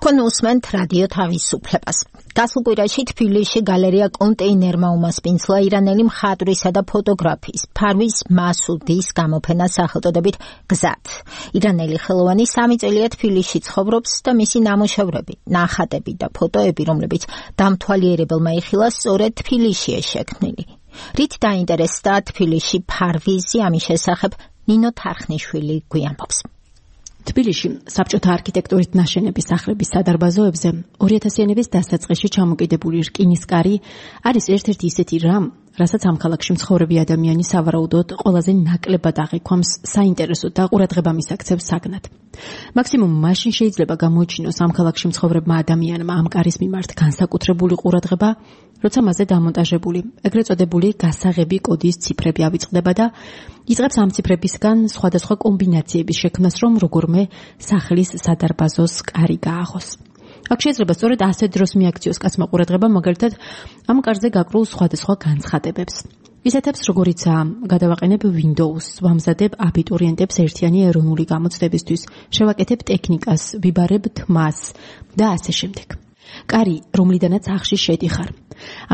თქვენ უსმენთ რადიო თავისუფლებას. გასულ კვირაში თბილისში გალერეა კონტეინერმა უმასპინძლა ირანელი მხატვრისა და ფოტოგრაფის ფარვის მასუდის გამოფენა სახელწოდებით გზად. ირანელი ხელოვანი 3 წელია თბილისში ცხოვრობს და მისი ნამუშევრები, ნახატები და ფოტოები, რომლებიც დამთვალიერებელმა იხილა, სწორედ თბილისშია შექმნილი. რით დაინტერესდა თბილისში ფარვიზი, ამის შესახებ ნინო თარხნიშვილი გვიამბობს. თბილისში საბჭოთა არქიტექტურით ნაშენების სახლების სადარბაზოებზე 2000-იანების დასაწყისში ჩამოკიდებული რკინისკარი არის ერთ-ერთი ისეთი რამ, რასაც ამ ქალაქში მცხოვრები ადამიანი სავარაუდოდ ყველაზე ნაკლებად აღიქვამს საინტერესო და ყურადღება მისაქცევს საგნად. მაქსიმუმ მაშინ შეიძლება გამოიჩინოს ამ ქალაქში მცხოვრებმა ადამიანმა ამ კარის მიმართ განსაკუთრებული ყურადღება, როცა მასზე დამონტაჟებული, ეგრეთ წოდებული გასაღები კოდის ციფრები ავიწყდება და იწყებს ამ ციფრებისგან სხვადასხვა კომბინაციების შექმნას, რომ როგორმე სახლის სადარბაზოს კარი გააღოს. აქ შეიძლება სწორედ ასეთ დროს მიაქციოს კაცმა ყურადღება, მაგალითად, ამ კარზე გაკრულ სხვადასხვა განცხადებებს. ისეთებს, როგორიცაა გადავაყენებ Windows, ვამზადებ აბიტურიენტებს ერთიანი ეროვნული გამოცდებისთვის, შევაკეთებ ტექნიკას, ვიბარებ თმას და ასე შემდეგ. კარი, რომლიდანაც ახში შედიხარ.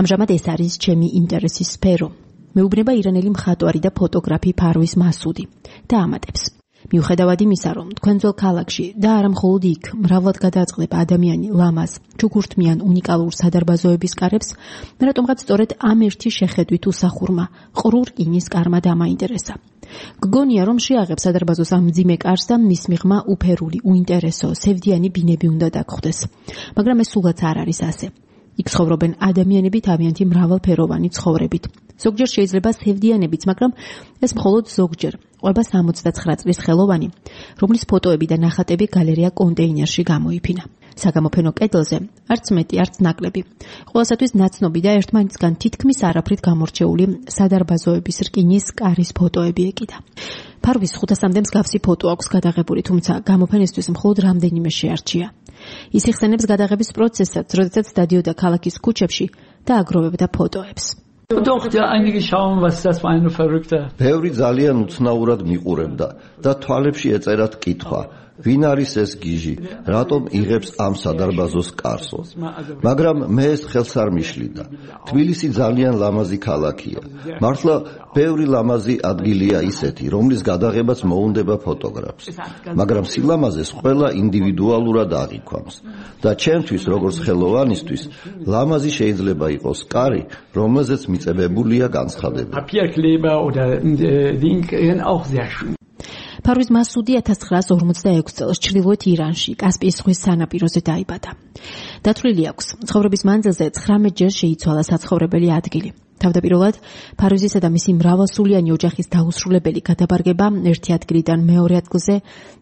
ამჟამად ეს არის ჩემი ინტერესის სფერო. მეუბნება ირანელი მხატვარი და ფოტოგრაფი ფარვის მასუდი და ამატებს. მიუხედავად იმისა, რომ თქვენ ძველ ქალაქში და არა მხოლოდ იქ მრავლად გადააწყდება ადამიანი ლამაზ, ჩუქურთმიან უნიკალურ სადარბაზოების კარებს, რატომღაც სწორედ ამ ერთი შეხედვით უსახურმა ყრუ რკინის კარმა დამაინტერესა. გგონია, რომ შეაღებს სადარბაზოს ამ მძიმე კარს და მის მიღმა უფერული, უინტერესო, სევდიანი ბინები უნდა დაგხვდეს. მაგრამ ეს სულაც არ არის ასე. იქ ცხოვრობენ ადამიანები თავიანთი მრავალფეროვანი ცხოვრებით. ზოგჯერ შეიძლება სევდიანებიც, მაგრამ ეს მხოლოდ ზოგჯერ. ყვება 69 წლის ხელოვანი, რომლის ფოტოები და ნახატები გალერეა კონტეინერში გამოიფინა. საგამოფენო კედელზე არც მეტი, არც ნაკლები. ყველასათვის ნაცნობი და ერთმანეთისგან თითქმის არაფრით გამორჩეული სადარბაზოების რკინის კარის ფოტოები ეკიდა. ფარვის 500-მდე მსგავსი ფოტო აქვს გადაღებული, თუმცა გამოფენისთვის მხოლოდ რამდენიმე შეარჩია. ის იხსენებს გადაღების პროცესსაც, როდესაც დადიოდა ქალაქის ქუჩებში და აგროვებდა ფოტოებს. Doch, ja, einige schauen, was das für eine verrückte. ბევრი ძალიან უცნაურად მიყურებდა და თვალებში ეწერათ კითხვა. ვინ არის ეს გიჟი? რატომ იღებს ამ სადარბაზოს კარსო? მაგრამ მე ეს ხელს არ მიშლიდა. თბილისი ძალიან ლამაზი ქალაქია. მართლა ბევრი ლამაზი ადგილია ისეთი, რომლის გადაღებაც მოუნდება ფოტოგრაფს. მაგრამ სილამაზეს ყველა ინდივიდუალურად აღიქვამს. და ჩემთვის, როგორც ხელოვანისთვის, ლამაზი შეიძლება იყოს კარი, რომელზეც მიწებებულია განცხადება. Papierkleber oder Ding auch sehr schön. ფარვის მასუდი 1946 წელს ჩრდილოეთ ირანში, კასპიის ზღვის სანაპიროზე დაიბადა. დათვლილი აქვს, ცხოვრების მანძილზე 19 ჯერ შეიცვალა საცხოვრებელი ადგილი. თავდაპირველად, ფარვიზისა და მისი მრავალსულიანი ოჯახის დაუსრულებელი გადაბარგება ერთი ადგილიდან მეორე ადგილზე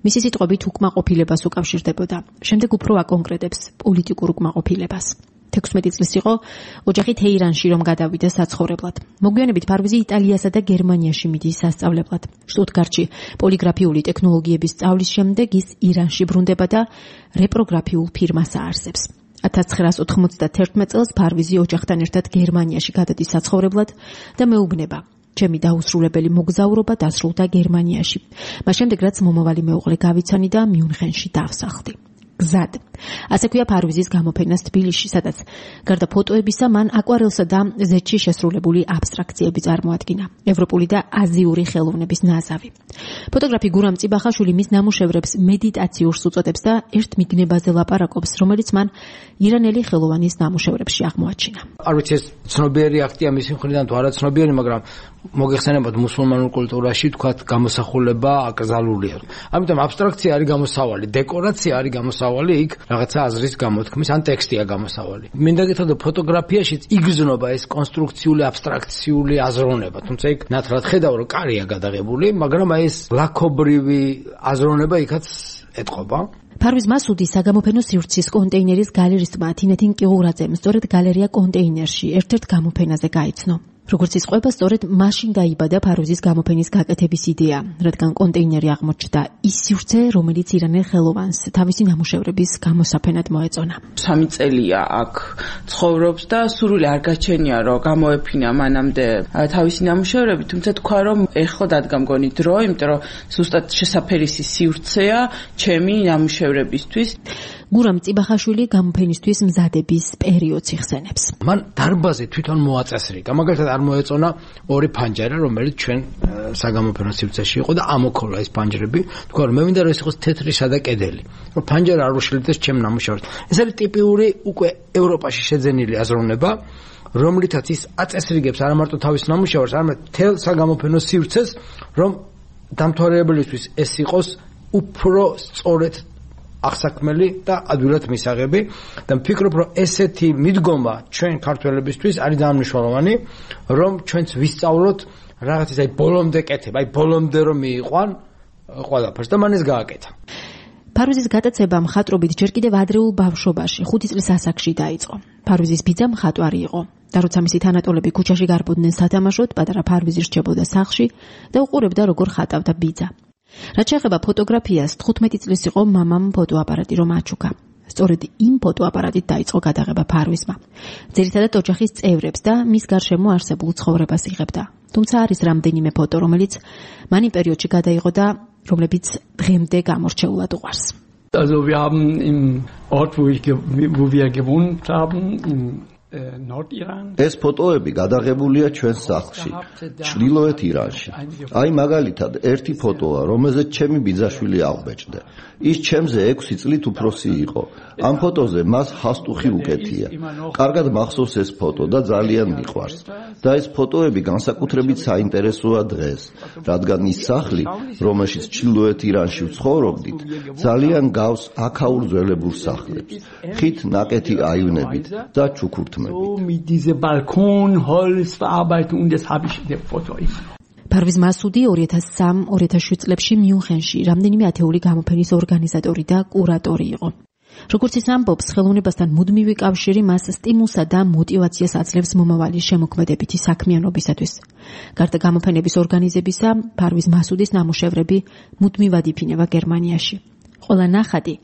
მისი სიტყვებით უკმაყოფილებას უკავშირდებოდა. შემდეგ უფრო აკონკრეტებს პოლიტიკურ უკმაყოფილებას. 16 წლის იყო ოჯახი თეირანში რომ გადავიდა საცხოვრებლად. მოგვიანებით ფარვიზი იტალიასა და გერმანიაში მიდის სასწავლებლად. შტუტგარტში პოლიგრაფიული ტექნოლოგიების სწავლის შემდეგ ის ირანში ბრუნდება და რეპროგრაფიულ ფირმას აარსებს. 1991 წელს ფარვიზი ოჯახთან ერთად გერმანიაში გადადის საცხოვრებლად და მეუბნება: ჩემი დაუსრულებელი მოგზაურობა დასრულდა გერმანიაში. მას შემდეგ რაც მომავალი მეუღლე გავიცანი და მიუნხენში დავსახლდი. გზად. ასე ქვია ფარვიზის გამოფენას თბილისში, სადაც გარდა ფოტოებისა მან აკვარელსა და ზეთში შესრულებული აბსტრაქციები წარმოადგინა. ევროპული და აზიური ხელოვნების ნაზავი. ფოტოგრაფი გურამ წიბახაშვილი მის ნამუშევრებს მედიტაციურს უწოდებს და ერთ მიგნებაზე ლაპარაკობს, რომელიც მან ირანელი ხელოვანის ნამუშევრებში აღმოაჩინა. არ ვიცი, ეს ცნობიერი აქტია მისი მხრიდან თუ არა ცნობიერი, მაგრამ მოგეხსენებათ მუსულმანურ კულტურაში თქვათ გამოსახულება აკრძალულია. ამიტომ აბსტრაქცია არის გამოსავალი, დეკორაცია არის გამოსავალი, იქ რაღაცა აზრის გამოთქმის ან ტექსტია გამოსავალი. მინდა გითხრათ, ფოტოგრაფიაშიც იგრძნობა ეს კონსტრუქციული აბსტრაქციული აზროვნება, თუმცა იქ ნათლად ხედავ, რომ კარია გადაღებული, მაგრამ ეს ლაქობრივი აზროვნება იქაც ეტყობა. ფარვის მასუდი საგამოფენო სივრცის კონტეინერის გალერისტმა თინეთინ კიღურაძემ სწორედ გალერეა კონტეინერში ერთ-ერთ გამოფენაზე გაიცნო. როგორც ისყვება, სწორედ მაშინ დაიბადა ფარვიზის გამოფენის გაკეთების იდეა, რადგან კონტეინერი აღმოჩნდა ის სივრცე, რომელიც ირანელ ხელოვანს თავისი ნამუშევრების გამოსაფენად მოეწონა. 3 წელია აქ ცხოვრობს და სურვილი არ გაჩენია, რომ გამოეფინა მანამდე თავისი ნამუშევრები, თუმცა თქვა, რომ ეხლა დადგა მგონი დრო, იმიტომ რომ ზუსტად შესაფერისი სივრცეა ჩემი ნამუშევრებისთვის. გურამ წიბახაშვილი გამოფენისთვის მზადების პერიოდს იხსენებს. მან დარბაზი თვითონ მოაწესრიგა, მაგალითად არ მოეწონა 2 ფანჯარა, რომელიც ჩვენ საგამოფენო სივრცეში იყო და ამოქოლა ეს ფანჯრები. თქვა რომ მე მინდა რომ ეს იყოს თეთრისა და კედელი, რომ ფანჯარა არ უშლიდეს ჩემ ნამუშევრს. ეს არის ტიპიური უკვე ევროპაში შეძენილი აზროვნება, რომლითაც ის აწესრიგებს არა მარტო თავის ნამუშევრს, არამედ მთელ საგამოფენო სივრცეს, რომ დამთავრებელისთვის ეს იყოს უფრო სწორედ აღსაქმელი და ადვილად მისაღები და ვფიქრობ, რომ ესეთი მიდგომა ჩვენ ქართველებისთვის არის ძალიან მნიშვნელოვანი, რომ ჩვენც ვისწავლოთ რაღაც ის ბოლომდე კეთება, ბოლომდე რომ მიიყვან ყველაფერს და მან ეს გააკეთა. ფარვიზის გატაცება მხატვრობით ჯერ კიდევ ადრეულ ბავშვობაში, 5 წლის ასაკში დაიწყო. ფარვიზის ბიძა მხატვარი იყო და როცა მისი თანატოლები ქუჩაში გარბოდნენ სათამაშოდ, პატარა ფარვიზი რჩებოდა სახლში და უყურებდა როგორ ხატავდა ბიძა. რაც შეეხება ფოტოგრაფიას, 15 წლის იყო მამამ ფოტოაპარატი რომ აჩუქა. სწორედ იმ ფოტოაპარატით დაიწყო გადაღება ფარვიზმა. ძირითადად ოჯახის წევრებს და მის გარშემო არსებულ ცხოვრებას იღებდა. თუმცა არის რამდენიმე ფოტო, რომელიც მან იმ პერიოდში გადაიღო და რომლებიც დღემდე გამორჩეულად უყვარს. Also wir haben im Ort, wo wir gewohnt haben, in Nordiran. ეს ფოტოები გადაღებულია ჩვენ სახლში, ჩრდილოეთ ირანში. აი მაგალითად, ერთი ფოტოა, რომელზეც ჩემი ბიძაშვილი აღბეჭდა. ის ჩემზე 6 წლით უფროსი იყო. ამ ფოტოზე მას ჰასტუხი უკეთია. კარგად მახსოვს ეს ფოტო და ძალიან მიყვარს. და ეს ფოტოები განსაკუთრებით საინტერესოა დღეს, რადგან ის სახლი, რომელშიც ჩრდილოეთ ირანში ვცხოვრობდით, ძალიან გავს აქაურ ძველებურ სახლებს. ხით ნაკეთი აივნებით და ჩუქურთმებით. Mit diese Balkon, Holz verarbeiten und das habe ich in der Foto. ფარვიზ მასუდი 2003-2007 წლებში მიუნხენში რამდენიმე ათეული გამოფენის ორგანიზატორი და კურატორი იყო. როგორც ის ამბობს, ხელოვნებასთან მუდმივი კავშირი მას სტიმულსა და მოტივაციას აძლევს მომავალი შემოქმედებითი საქმიანობისათვის. გარდა გამოფენების ორგანიზებისა, ფარვიზ მასუდის ნამუშევრები მუდმივად იფინება გერმანიაში. ყველა ნახატი,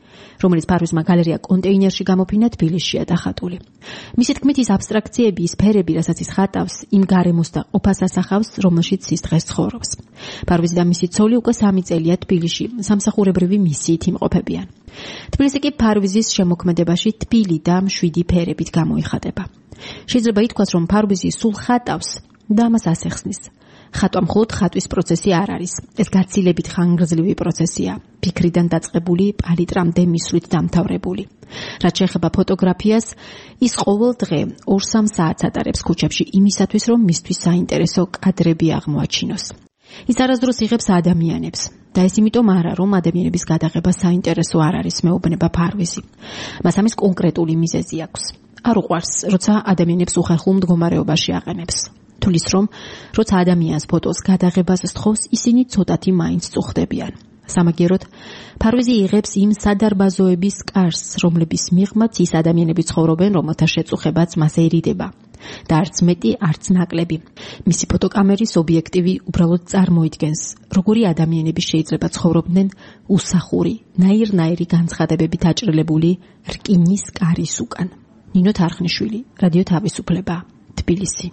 რომელიც ფარვიზმა გალერეა კონტეინერში გამოფინა, თბილისშია დახატული. მისი თქმით, ის აბსტრაქციები, ის ფერები, რასაც ის ხატავს, იმ გარემოს და ყოფას ასახავს, რომელშიც ის დღეს ცხოვრობს. ფარვიზი და მისი ცოლი უკვე 3 წელია თბილისში, სამსახურებრივი მისიით იმყოფებიან. თბილისი კი ფარვიზის შემოქმედებაში თბილი და მშვიდი ფერებით გამოიხატება. შეიძლება ითქვას, რომ ფარვიზი სულ ხატავს და ამას ასეხსნის. ხატვა მხოლოდ ხატვის პროცესი არ არის. ეს გაცილებით ხანგრძლივი პროცესია, ფიქრიდან დაწყებული, პალიტრამდე მისვლით დამთავრებული. რაც შეეხება ფოტოგრაფიას, ის ყოველ დღე 2-3 საათს ატარებს ქუჩებში იმისათვის, რომ მისთვის საინტერესო კადრები აღმოაჩინოს. ის არასდროს იღებს ადამიანებს და ეს იმიტომ არა, რომ ადამიანების გადაღება საინტერესო არ არის, მეუბნება ფარვიზი. მას ამის კონკრეტული მიზეზი აქვს. არ უყვარს, როცა ადამიანებს უხერხულ მდგომარეობაში აყენებს. თulis რომ როცა ადამიანს ფოტოს გადაღებას სთხოვს, ისინი ცოტათი მაინც წუხდებიან. სამაგიეროდ, ფარვიზი იღებს იმ სადარბაზოების კარს, რომლების მიღმაც ის ადამიანები ცხოვრობენ, რომელთა შეწუხებაც მას ერიდება. და არც მეტი, არც ნაკლები. მისი ფოტოკამერის ობიექტივი უბრალოდ წარმოიდგენს, როგორი ადამიანები შეიძლება ცხოვრობდნენ უსახური, ნაირ-ნაირი განცხადებებით აჭრილებული რკინის კარის უკან. ნინო თარხნიშვილი, რადიო თავისუფლება, თბილისი.